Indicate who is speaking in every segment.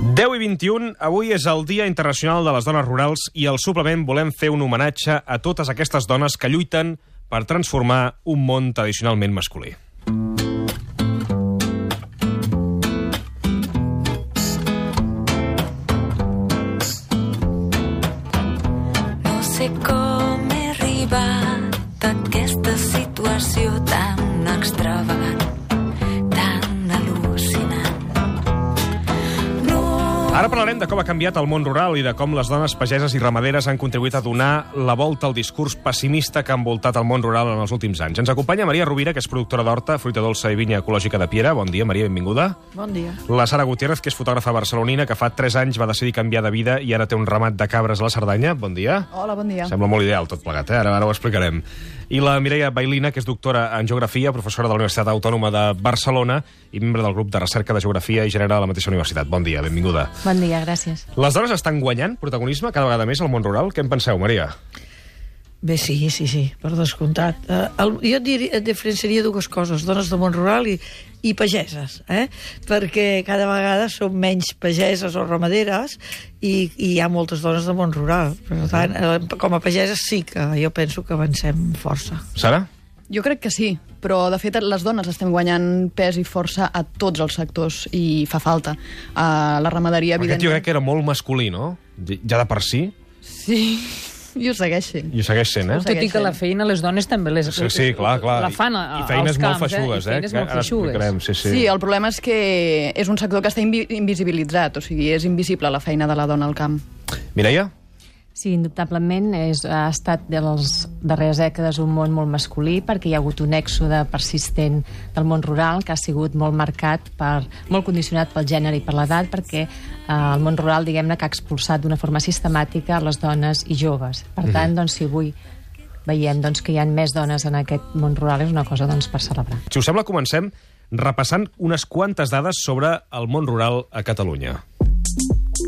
Speaker 1: 10:21, avui és el Dia Internacional de les Dones Rurals i al suplement volem fer un homenatge a totes aquestes dones que lluiten per transformar un món tradicionalment masculí.
Speaker 2: No sé com he arribat a aquesta situació tan extravagant, tan al·lucinant.
Speaker 1: Ara parlarem de com ha canviat el món rural i de com les dones pageses i ramaderes han contribuït a donar la volta al discurs pessimista que ha envoltat el món rural en els últims anys. Ens acompanya Maria Rovira, que és productora d'horta, fruita dolça i vinya ecològica de Piera. Bon dia, Maria, benvinguda.
Speaker 3: Bon dia.
Speaker 1: La Sara Gutiérrez, que és fotògrafa barcelonina, que fa 3 anys va decidir canviar de vida i ara té un ramat de cabres a la Cerdanya. Bon dia.
Speaker 3: Hola, bon dia.
Speaker 1: Sembla molt ideal tot plegat, Ara ho explicarem. I la Mireia Bailina, que és doctora en Geografia, professora de la Universitat Autònoma de Barcelona i membre del grup de recerca de Geografia i Gènere de la mateixa universitat. Bon dia, benvinguda.
Speaker 4: Bon dia, gràcies.
Speaker 1: Les dones estan guanyant protagonisme cada vegada més al món rural? Què en penseu, Maria?
Speaker 3: Bé, sí, per descomptat. Jo et diferenciaria dues coses, dones del món rural i pageses, perquè cada vegada són menys pageses o ramaderes i hi ha moltes dones del món rural. Per tant, com a pageses sí que jo penso que avancem força.
Speaker 1: Sara?
Speaker 5: Jo crec que sí, però de fet les dones estem guanyant pes i força a tots els sectors i fa falta. La ramaderia,
Speaker 1: Aquest jo crec que era molt masculí, no? Ja de per si.
Speaker 5: Sí, i ho segueix sent.
Speaker 1: I ho segueix sent,
Speaker 4: Tot i que la feina les dones també les...
Speaker 1: Sí, clar.
Speaker 4: La fan
Speaker 1: I feines molt feixugues,
Speaker 4: I feines molt feixugues.
Speaker 5: Sí, el problema és que és un sector que està invisibilitzat, o sigui, és invisible la feina de la dona al camp.
Speaker 1: Mireia?
Speaker 4: Sí, indubtablement ha estat de les darreres dècades un món molt masculí perquè hi ha hagut un èxode persistent del món rural que ha sigut molt marcat, molt condicionat pel gènere i per l'edat, perquè el món rural, diguem-ne, que ha expulsat d'una forma sistemàtica les dones i joves. Per tant, doncs, si avui veiem que hi ha més dones en aquest món rural és una cosa per celebrar.
Speaker 1: Si us sembla, comencem repassant unes quantes dades sobre el món rural a Catalunya.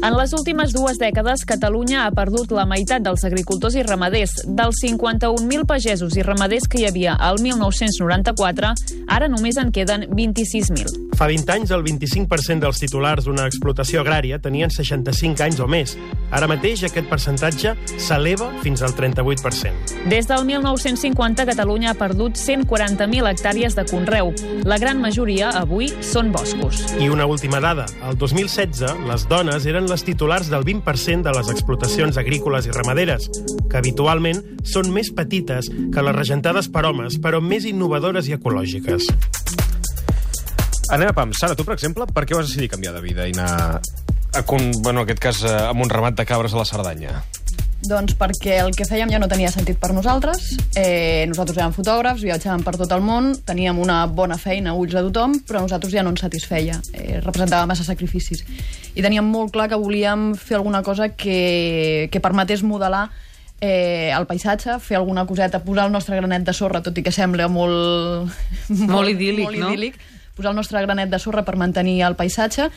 Speaker 6: En les últimes 2 dècades, Catalunya ha perdut la meitat dels agricultors i ramaders. Dels 51.000 pagesos i ramaders que hi havia al 1994, ara només en queden 26.000.
Speaker 7: Fa 20 anys, el 25% dels titulars d'una explotació agrària tenien 65 anys o més. Ara mateix, aquest percentatge s'eleva fins al 38%.
Speaker 6: Des del 1950, Catalunya ha perdut 140.000 hectàrees de conreu. La gran majoria, avui, són boscos.
Speaker 7: I una última dada. El 2016, les dones eren les titulars del 20% de les explotacions agrícoles i ramaderes, que habitualment són més petites que les regentades per homes, però més innovadores i ecològiques.
Speaker 1: Anem a pams. Sara, tu, per exemple, per què vas decidir canviar de vida i anar, en aquest cas, amb un ramat de cabres a la Cerdanya?
Speaker 5: Doncs perquè el que fèiem ja no tenia sentit per nosaltres. Nosaltres érem fotògrafs, viatjàvem per tot el món, teníem una bona feina a ulls de tothom, però a nosaltres ja no ens satisfeia. Representava massa sacrificis. I teníem molt clar que volíem fer alguna cosa que permetés modelar el paisatge, fer alguna coseta, posar el nostre granet de sorra, tot i que sembla molt
Speaker 4: idíl·lic, no?
Speaker 5: Posar el nostre granet de sorra per mantenir el paisatge.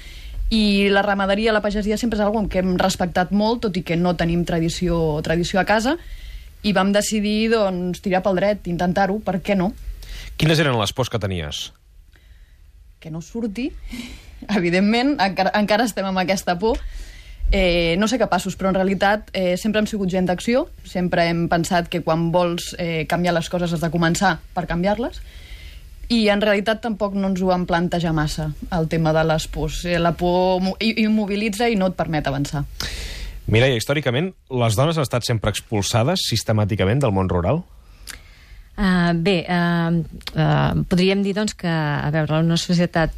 Speaker 5: I la ramaderia, la pagesia sempre és una cosa que hem respectat molt, tot i que no tenim tradició a casa, i vam decidir tirar pel dret, intentar-ho, per què no?
Speaker 1: Quines eren les pors que tenies?
Speaker 5: Que no surti, evidentment, encara estem amb aquesta por. No ser capaços, però en realitat sempre hem sigut gent d'acció, sempre hem pensat que quan vols canviar les coses has de començar per canviar-les, i en realitat tampoc no ens ho vam plantejar massa, el tema de les pors. La por immobilitza i no et permet avançar.
Speaker 1: Mireia, històricament, les dones han estat sempre expulsades sistemàticament del món rural?
Speaker 4: Podríem dir que, a veure, en una societat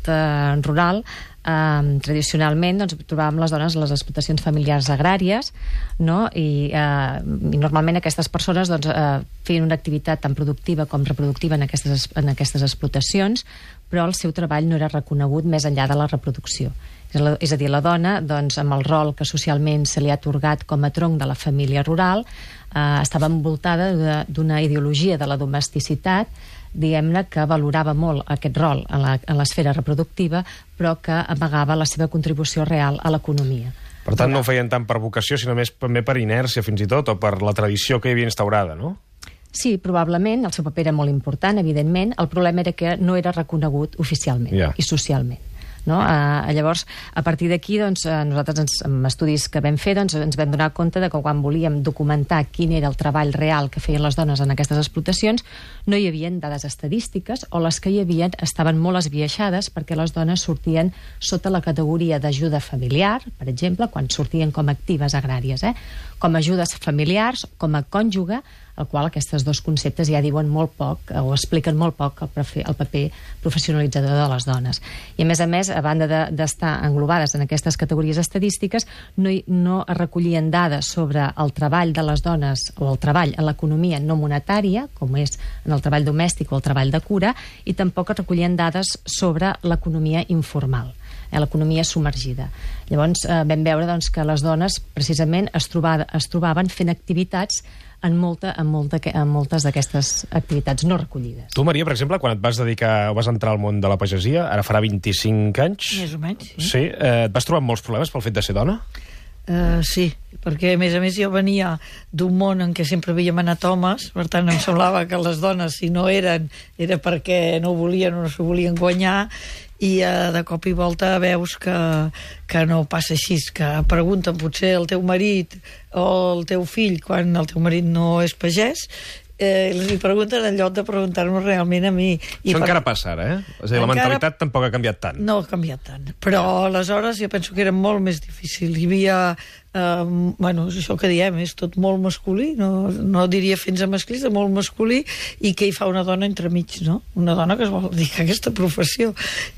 Speaker 4: rural, tradicionalment trobàvem les dones a les explotacions familiars agràries, no? I normalment aquestes persones feien una activitat tan productiva com reproductiva en aquestes explotacions, però el seu treball no era reconegut més enllà de la reproducció. És a dir, la dona, amb el rol que socialment se li ha atorgat com a tronc de la família rural, estava envoltada d'una ideologia de la domesticitat, diguem-ne, que valorava molt aquest rol en l'esfera reproductiva, però que amagava la seva contribució real a l'economia.
Speaker 1: Per tant, no ho feien tant per vocació, sinó més també per inèrcia, fins i tot, o per la tradició que hi havia instaurada, no?
Speaker 4: Sí, probablement, el seu paper era molt important, evidentment. El problema era que no era reconegut oficialment i socialment. no? Llavors, a partir d'aquí, doncs, nosaltres, amb estudis que vam fer, doncs, ens vam donar compte de que quan volíem documentar quin era el treball real que feien les dones en aquestes explotacions, no hi havia dades estadístiques, o les que hi havia estaven molt esbiaixades, perquè les dones sortien sota la categoria d'ajuda familiar, per exemple, quan sortien com a actives agràries, com a ajudes familiars, com a cònjuge, el qual aquests dos conceptes ja diuen molt poc, o expliquen molt poc el paper professionalitzador de les dones. I a més, a banda d'estar englobades en aquestes categories estadístiques, no es recollien dades sobre el treball de les dones o el treball en l'economia no monetària, com és en el treball domèstic o el treball de cura, i tampoc es recollien dades sobre l'economia informal, l'economia submergida. Llavors vam veure doncs, que les dones precisament es trobaven fent activitats en moltes d'aquestes activitats no recollides.
Speaker 1: Tu, Maria, per exemple, quan et vas dedicar o vas entrar al món de la pagesia, ara farà 25 anys...
Speaker 3: Més o menys, sí.
Speaker 1: Sí, et vas trobar amb molts problemes pel fet de ser dona?
Speaker 3: Sí, perquè a més jo venia d'un món en què sempre veiem anatomes, per tant em semblava que les dones, si no eren, era perquè no volien o no s'ho volien guanyar, i de cop i volta veus que no passa així, que pregunten potser el teu marit o el teu fill quan el teu marit no és pagès, li pregunten en lloc de preguntar-nos realment a mi.
Speaker 1: Això encara passa ara, És a dir, la mentalitat tampoc ha canviat tant.
Speaker 3: No ha canviat tant, però aleshores jo penso que era molt més difícil. Hi havia, això que diem, és tot molt masculí, no diria fins a masclista, molt masculí, i què hi fa una dona entremig, no? Una dona que es vol dedicar a aquesta professió,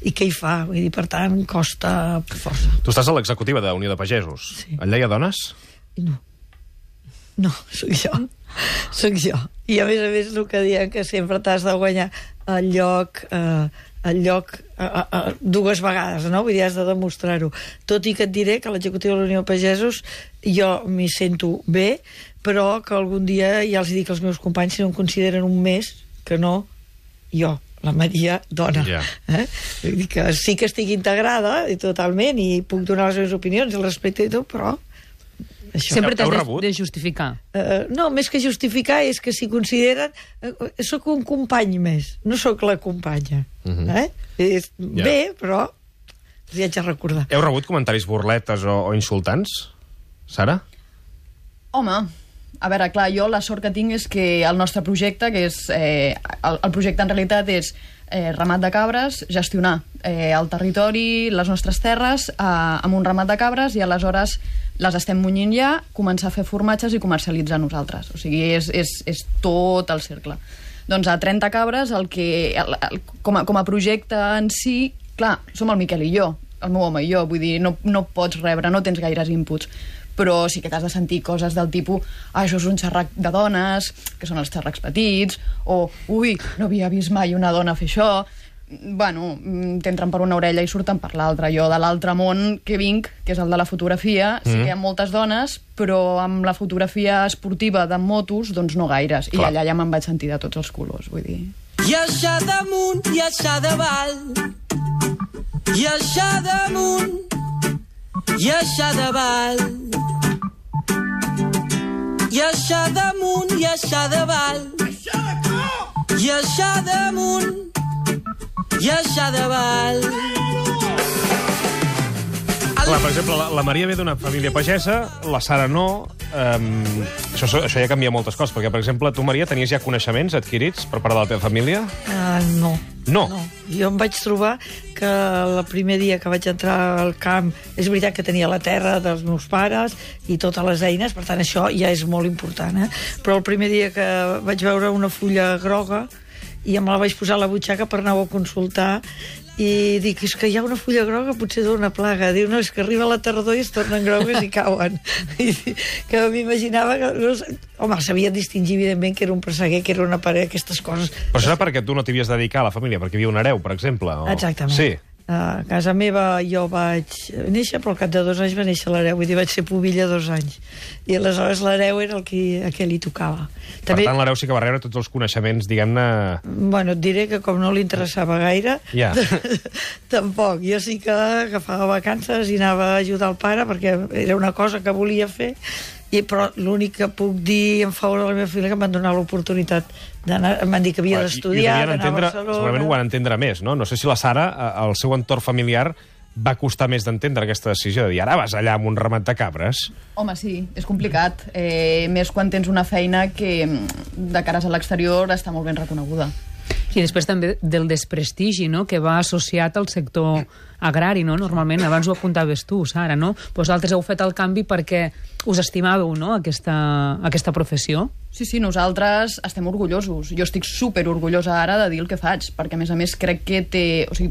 Speaker 3: i què hi fa? Vull dir, per tant, costa força.
Speaker 1: Tu estàs a l'executiva de Unió de Pagesos. Sí. Allà hi ha dones?
Speaker 3: No, sóc jo. I a més el que diem, que sempre t'has de guanyar el lloc dues vegades, no? Vull dir, has de demostrar-ho. Tot i que et diré que a l'executiva de la Unió de Pagesos jo m'hi sento bé, però que algun dia ja els dic als meus companys si no em consideren un més, que no jo, la Maria, dona. Vull dir que sí que estic integrada totalment i puc donar les meves opinions al respecte i tot, però això.
Speaker 8: Sempre t'has de justificar.
Speaker 3: No, més que justificar és que si consideren... Sóc un company més, no sóc la companya. Bé, però els hi haig de recordar.
Speaker 1: Heu rebut comentaris burletes o insultants, Sara?
Speaker 5: Home, a veure, clar, jo la sort que tinc és que el nostre projecte, que és... el projecte en realitat és ramat de cabres, gestionar el territori, les nostres terres, amb un ramat de cabres, i aleshores les estem munyint ja, començar a fer formatges i comercialitzar nosaltres. O sigui, és tot el cercle. Doncs a 30 cabres, com a projecte en si, clar, som el Miquel i jo, el meu home i jo, vull dir, no pots rebre, no tens gaires inputs, però sí que t'has de sentir coses del tipus això és un xerrac de dones, que són els xerracs petits, o ui, no havia vist mai una dona fer això. Bueno, t'entren per una orella i surten per l'altra. Jo de l'altre món que vinc, que és el de la fotografia, sí que hi ha moltes dones, però amb la fotografia esportiva de motos, doncs no gaires. I allà ja me'n vaig sentir de tots els colors, vull dir.
Speaker 9: I això damunt, i això davall, i això damunt, i això davall, i això damunt, i això davall, i això damunt, i això davall.
Speaker 1: Clar, per exemple, la Maria ve d'una família pagesa, la Sara no. Això ja canvia moltes coses, perquè, per exemple, tu, Maria, tenies ja coneixements adquirits per part de la teva família?
Speaker 3: No.
Speaker 1: No?
Speaker 3: Jo em vaig trobar que el primer dia que vaig entrar al camp, és veritat que tenia la terra dels meus pares i totes les eines, per tant, això ja és molt important, però el primer dia que vaig veure una fulla groga i me la vaig posar a la butxaca per anar-ho a consultar, i dic, és que hi ha una fulla groga, potser d'una plaga. Diu, no, és que arriba la tardor i es tornen grogues i cauen. Que m'imaginava que... Home, sabia distingir, evidentment, que era un presseguer, que era una parella, aquestes coses.
Speaker 1: Però això era perquè tu no t'hi havies dedicat a la família, perquè hi havia un hereu, per exemple? O...
Speaker 3: Exactament.
Speaker 1: Sí.
Speaker 3: A casa meva jo vaig néixer, però al cap de 2 anys va néixer l'hereu, vull dir, vaig ser pubilla 2 anys. I aleshores l'hereu era el que li tocava.
Speaker 1: També... Per tant, l'hereu sí que va rebre tots els coneixements, diguem-ne...
Speaker 3: Bueno, et diré que com no li interessava gaire, tampoc. Jo sí que agafava vacances i anava a ajudar el pare, perquè era una cosa que volia fer, però l'únic que puc dir en favor de la meva família que em van donar l'oportunitat d'anar, em van dir que havia d'estudiar, d'anar a Barcelona...
Speaker 1: Segurament ho van entendre més, no? No sé si la Sara, el seu entorn familiar, va costar més d'entendre aquesta decisió de dir ara vas allà amb un ramat de cabres?
Speaker 5: Home, sí, és complicat. Més quan tens una feina que de cares a l'exterior està molt ben reconeguda.
Speaker 8: I després també del desprestigi, no?, que va associat al sector agrari, no?, normalment. Abans ho apuntaves tu, Sara, no? Vosaltres heu fet el canvi perquè us estimàveu, no?, aquesta professió.
Speaker 5: Sí, nosaltres estem orgullosos. Jo estic superorgullosa ara de dir el que faig, perquè a més crec que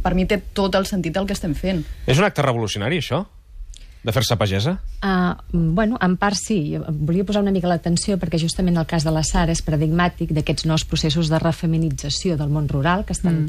Speaker 5: per mi té tot el sentit del que estem fent.
Speaker 1: És un acte revolucionari, això? De fer-se pagesa?
Speaker 4: Bueno, en part sí. Volia posar una mica l'atenció perquè justament el cas de la Sara és paradigmàtic d'aquests nous processos de refeminització del món rural que estan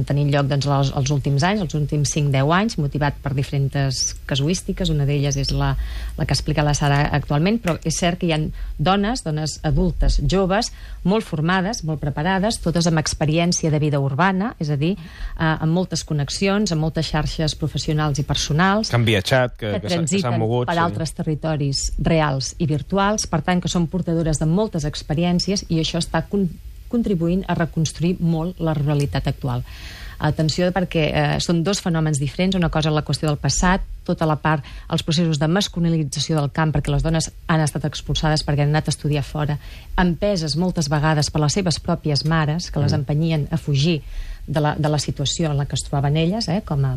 Speaker 4: tenint lloc doncs, els últims anys, els últims 5-10 anys, motivat per diferents casuístiques. Una d'elles és la que explica la Sara actualment, però és cert que hi ha dones adultes, joves, molt formades, molt preparades, totes amb experiència de vida urbana, és a dir, amb moltes connexions, amb moltes xarxes professionals i personals,
Speaker 1: que han viatjat, que s'han mogut
Speaker 4: per altres territoris reals i virtuals, per tant que són portadores de moltes experiències i això està contribuint a reconstruir molt la realitat actual. Atenció, perquè són dos fenòmens diferents. Una cosa és la qüestió del passat, tota la part, els processos de masculinització del camp, perquè les dones han estat expulsades perquè han anat a estudiar fora, empeses moltes vegades per les seves pròpies mares, que les empenyien a fugir de la situació en la que es trobaven elles, com a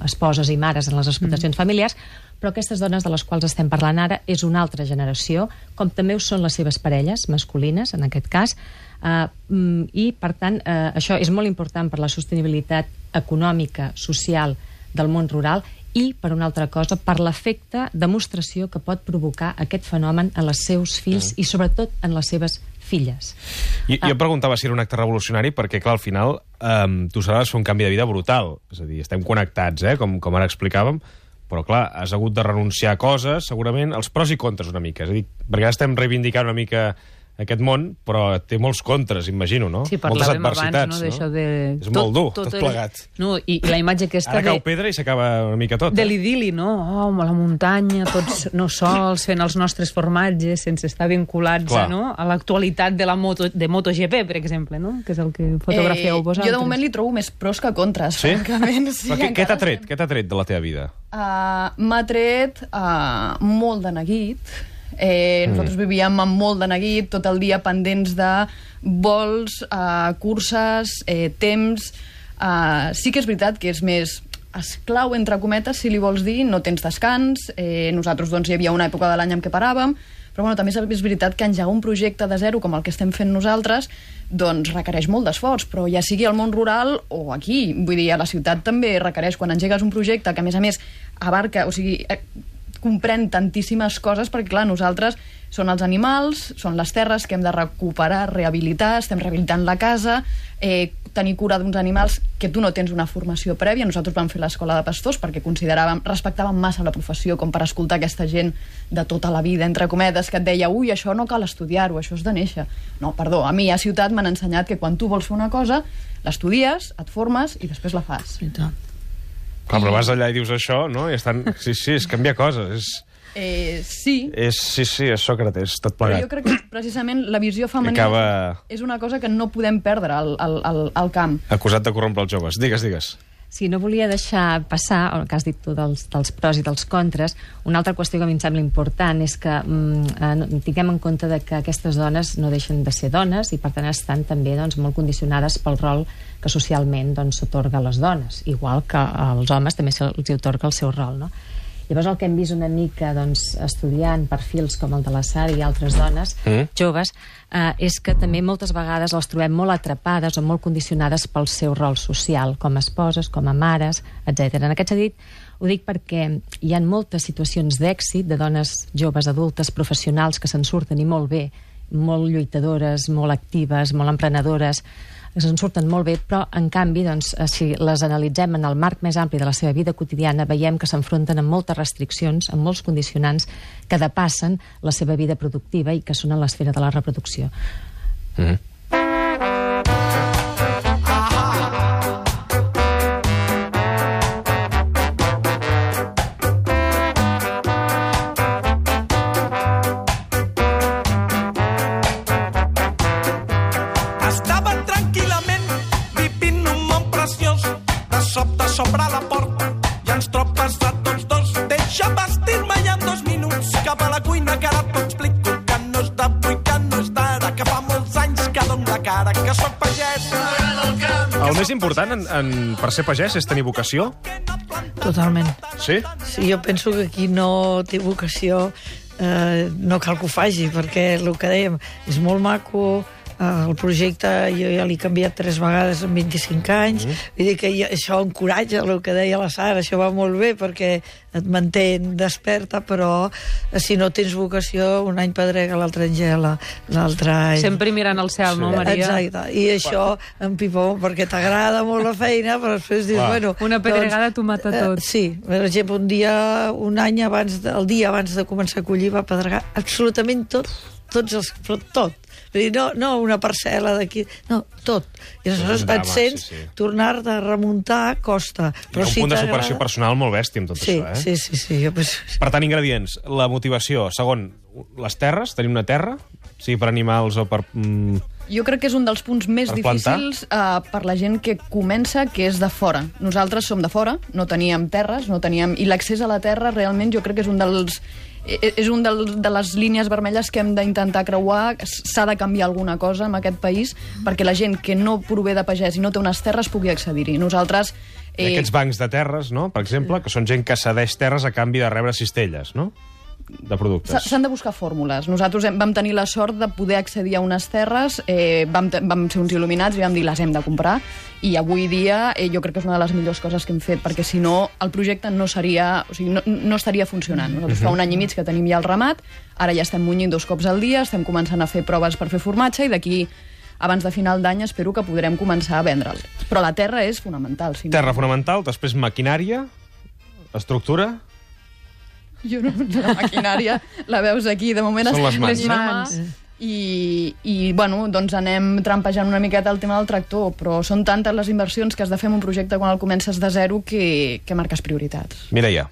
Speaker 4: esposes i mares en les explotacions familiars, però aquestes dones de les quals estem parlant ara és una altra generació, com també ho són les seves parelles masculines, en aquest cas, i, per tant, això és molt important per la sostenibilitat econòmica, social del món rural i, per una altra cosa, per l'efecte demostració que pot provocar aquest fenomen en els seus fills i, sobretot, en les seves filles.
Speaker 1: Jo preguntava si era un acte revolucionari perquè, clar, al final tu sabràs fer un canvi de vida brutal. És a dir, estem connectats, com ara explicàvem, però, clar, has hagut de renunciar a coses, segurament, els pros i contres una mica. És a dir, perquè ara estem reivindicant una mica aquest món, però té molts contres, imagino, no?
Speaker 8: Sí, parlàvem abans, no?
Speaker 1: És molt dur, tot plegat.
Speaker 8: No, i la imatge aquesta
Speaker 1: ara cau pedra i s'acaba una mica tot.
Speaker 8: De l'idili, no? La muntanya, tots no sols, fent els nostres formatges, sense estar vinculats a l'actualitat de MotoGP, per exemple, no? Que és el que fotografieu vosaltres.
Speaker 5: Jo de moment li trobo més pros que contres,
Speaker 1: sí?
Speaker 5: francament.
Speaker 1: Sí, però què t'ha tret? Què t'ha tret de la teva vida?
Speaker 5: M'ha tret molt de neguit. Nosaltres vivíem amb molt de neguit, tot el dia pendents de vols, curses, temps. Sí que és veritat que és més esclau, entre cometes, si li vols dir, no tens descans. Nosaltres doncs, hi havia una època de l'any en què paràvem, però també és veritat que engegar un projecte de zero com el que estem fent nosaltres doncs requereix molt d'esforç, però ja sigui al món rural o aquí, vull dir, a la ciutat també requereix, quan engegues un projecte que a més abarca, o sigui, comprèn tantíssimes coses, perquè clar, nosaltres són els animals, són les terres que hem de recuperar, rehabilitar, estem rehabilitant la casa, tenir cura d'uns animals que tu no tens una formació prèvia. Nosaltres vam fer l'escola de pastors perquè respectàvem massa la professió com per escoltar aquesta gent de tota la vida, entre cometes, que et deia, ui, això no cal estudiar-ho, això és de néixer. No, perdó, a mi a ciutat m'han ensenyat que quan tu vols fer una cosa, l'estudies, et formes i després la fas.
Speaker 1: Clar, però vas allà i dius això, no? I estan... Sí, és canviar coses.
Speaker 5: Sí.
Speaker 1: És Sòcrates, tot plegat.
Speaker 5: Però jo crec que precisament la visió femenina és una cosa que no podem perdre al camp.
Speaker 1: Acusat de corrompre els joves. Digues.
Speaker 4: Sí, no volia deixar passar, el que has dit tu dels pros i dels contres. Una altra qüestió que a mi em sembla important és que tinguem en compte que aquestes dones no deixen de ser dones i per tant estan també molt condicionades pel rol que socialment s'atorga a les dones, igual que als homes també se'ls atorga el seu rol, no? Llavors el que hem vist una mica estudiant perfils com el de la Sara i altres dones joves és que també moltes vegades les trobem molt atrapades o molt condicionades pel seu rol social, com a esposes, com a mares, etc. En aquest sentit, ho dic perquè hi ha moltes situacions d'èxit de dones joves, adultes, professionals que se'n surten i molt bé, molt lluitadores, molt actives, molt emprenedores, que se'n surten molt bé, però en canvi, si les analitzem en el marc més ampli de la seva vida quotidiana, veiem que s'enfronten amb moltes restriccions, amb molts condicionants que depassen la seva vida productiva i que són en l'esfera de la reproducció.
Speaker 9: Sobre la
Speaker 1: El més important per ser pagès és tenir vocació?
Speaker 3: Totalment.
Speaker 1: Sí?
Speaker 3: Sí, jo penso que qui no té vocació no cal que ho faci, perquè el que dèiem és molt maco, el projecte jo ja l'he canviat 3 vegades en 25 anys, vull dir que això encoratja el que deia la Sara, això va molt bé perquè et manté desperta, però si no tens vocació, un any pedrega, l'altre engela, l'altre...
Speaker 8: Sempre mirant al cel, no, Maria?
Speaker 3: Exacte, i això empipa perquè t'agrada molt la feina, però després dius, bueno...
Speaker 8: Una pedregada t'ho mata tot.
Speaker 3: Sí, per exemple, un any abans, el dia abans de començar a collir va pedregar absolutament tot, però tot. Vull dir, no una parcel·la d'aquí, no, tot. I aleshores et sents tornar-te a remuntar costa.
Speaker 1: Però un punt de superació personal molt bèstia amb tot això, eh?
Speaker 3: Sí.
Speaker 1: Per tant, ingredients, la motivació. Segon, les terres, tenim una terra, sigui per animals o per...
Speaker 5: Jo crec que és un dels punts més difícils per la gent que comença, que és de fora. Nosaltres som de fora, no teníem terres, i l'accés a la terra realment jo crec que és un dels... És un de les línies vermelles que hem d'intentar creuar. S'ha de canviar alguna cosa en aquest país perquè la gent que no prové de pagès i no té unes terres pugui accedir-hi. Nosaltres...
Speaker 1: Aquests bancs de terres, no?, per exemple, que són gent que cedeix terres a canvi de rebre cistelles, no?, de productes.
Speaker 5: S'han de buscar fórmules. Nosaltres vam tenir la sort de poder accedir a unes terres, vam ser uns il·luminats i vam dir les hem de comprar, i avui dia jo crec que és una de les millors coses que hem fet, perquè si no el projecte no estaria funcionant. Nosaltres fa un any i mig que tenim ja el ramat, ara ja estem munyint 2 cops al dia, estem començant a fer proves per fer formatge i d'aquí abans de final d'any espero que podrem començar a vendre'l. Però la terra és fonamental.
Speaker 1: Terra fonamental, després maquinària, estructura...
Speaker 5: La maquinària la veus aquí, de moment
Speaker 1: són les
Speaker 5: mans. I bueno, doncs anem trampejant una miqueta el tema del tractor, però són tantes les inversions que has de fer en un projecte quan el comences de zero que marques prioritats.
Speaker 1: Mireia.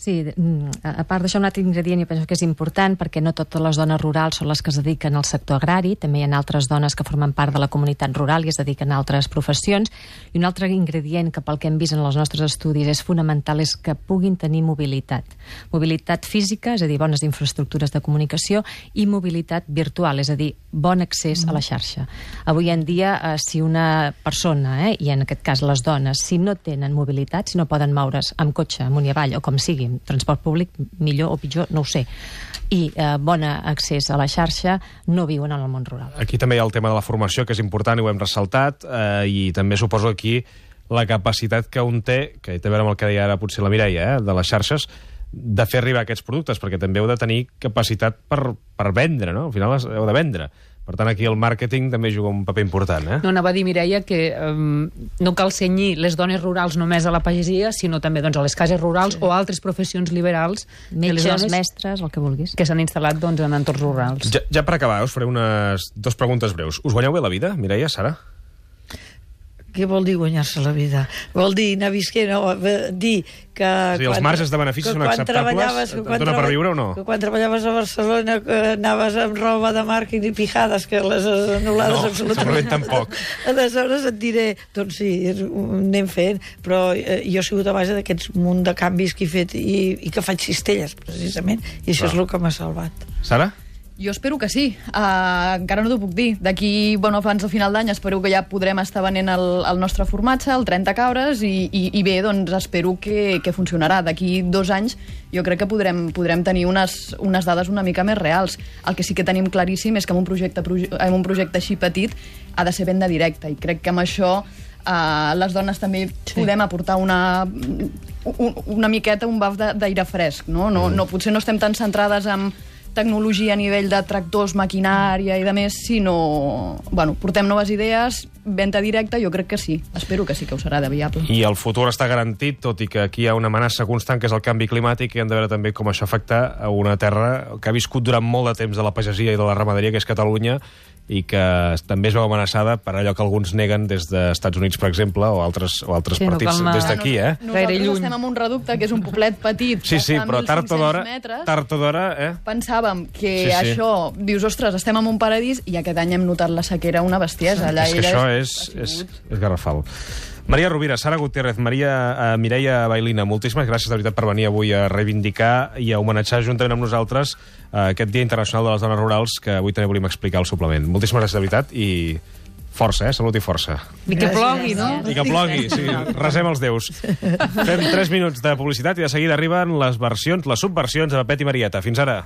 Speaker 4: Sí, a part d'això, un altre ingredient jo penso que és important perquè no totes les dones rurals són les que es dediquen al sector agrari, també hi ha altres dones que formen part de la comunitat rural i es dediquen a altres professions, i un altre ingredient que pel que hem vist en els nostres estudis és fonamental és que puguin tenir mobilitat. Mobilitat física, és a dir, bones infraestructures de comunicació, i mobilitat virtual, és a dir, bon accés a la xarxa. Avui en dia, si una persona, i en aquest cas les dones, si no tenen mobilitat, si no poden moure's amb cotxe, amunt i avall, o com sigui, transport públic, millor o pitjor, no ho sé, i bon accés a la xarxa, no viuen en el món rural.
Speaker 1: Aquí també hi ha el tema de la formació, que és important i ho hem ressaltat, i també suposo aquí la capacitat que un té, que té a veure amb el que deia ara potser la Mireia, de les xarxes, de fer arribar aquests productes, perquè també heu de tenir capacitat per vendre, no? Al final heu de vendre. Per tant, aquí el màrqueting també juga un paper important, eh?
Speaker 8: No, anava a dir, Mireia, que no cal cenyir les dones rurals només a la pagesia, sinó també doncs, a les cases rurals o altres professions liberals.
Speaker 4: Metges, mestres, el que vulguis.
Speaker 8: Que s'han instal·lat doncs, en entorns rurals.
Speaker 1: Ja per acabar, us faré unes 2 preguntes breus. Us guanyeu bé la vida, Mireia, Sara?
Speaker 3: Què vol dir guanyar-se la vida? Vol dir anar visquent, no? Dir que...
Speaker 1: Sí, els marges de benefici són acceptables? Et dona per viure o no?
Speaker 3: Que quan treballaves a Barcelona anaves amb roba de marca i pijades, que les anul·lades absolutament.
Speaker 1: No, tampoc.
Speaker 3: Aleshores et diré, doncs sí, anem fent, però jo he sigut a base d'aquests munt de canvis que he fet i que faig cistelles, precisament, i això és el que m'ha salvat.
Speaker 1: Sara?
Speaker 5: Jo espero que sí. Encara no t'ho puc dir. D'aquí, abans del final d'any, espero que ja podrem estar venent el nostre formatge, el 30 cabres, i bé, doncs espero que funcionarà. D'aquí 2 anys jo crec que podrem tenir unes dades una mica més reals. El que sí que tenim claríssim és que en un projecte així petit ha de ser venda directa, i crec que amb això les dones també podem aportar una miqueta, un baf d'aire fresc, no? Potser no estem tan centrades en tecnologia a nivell de tractors, maquinària i de més, sinó... portem noves idees, venda directa, jo crec que sí. Espero que sí que ho serà de viable.
Speaker 1: I el futur està garantit, tot i que aquí hi ha una amenaça constant, que és el canvi climàtic, i hem de veure també com això afecta a una terra que ha viscut durant molt de temps de la pagesia i de la ramaderia, que és Catalunya, i que també es veu amenaçada per allò que alguns neguen des dels Estats Units, per exemple, o altres partits des d'aquí, eh?
Speaker 5: Nosaltres estem en un reducte que és un poblet petit,
Speaker 1: sí, però tard o d'hora,
Speaker 5: pensàvem que això, dius, ostres, estem en un paradís, i aquest any hem notat la sequera una bestiesa.
Speaker 1: És que això és garrafal. Maria Rovira, Sara Gutiérrez, Mireia Bailina, moltíssimes gràcies de veritat per venir avui a reivindicar i a homenatjar juntament amb nosaltres aquest Dia Internacional de les Dones Rurals, que avui també volíem explicar al suplement. Moltíssimes gràcies de veritat i Força, salut i força.
Speaker 8: I que plogui, no?
Speaker 1: I que plogui, sí, resem els déus. Fem 3 minuts de publicitat i de seguida arriben les versions, les subversions de Pet i Marieta. Fins ara.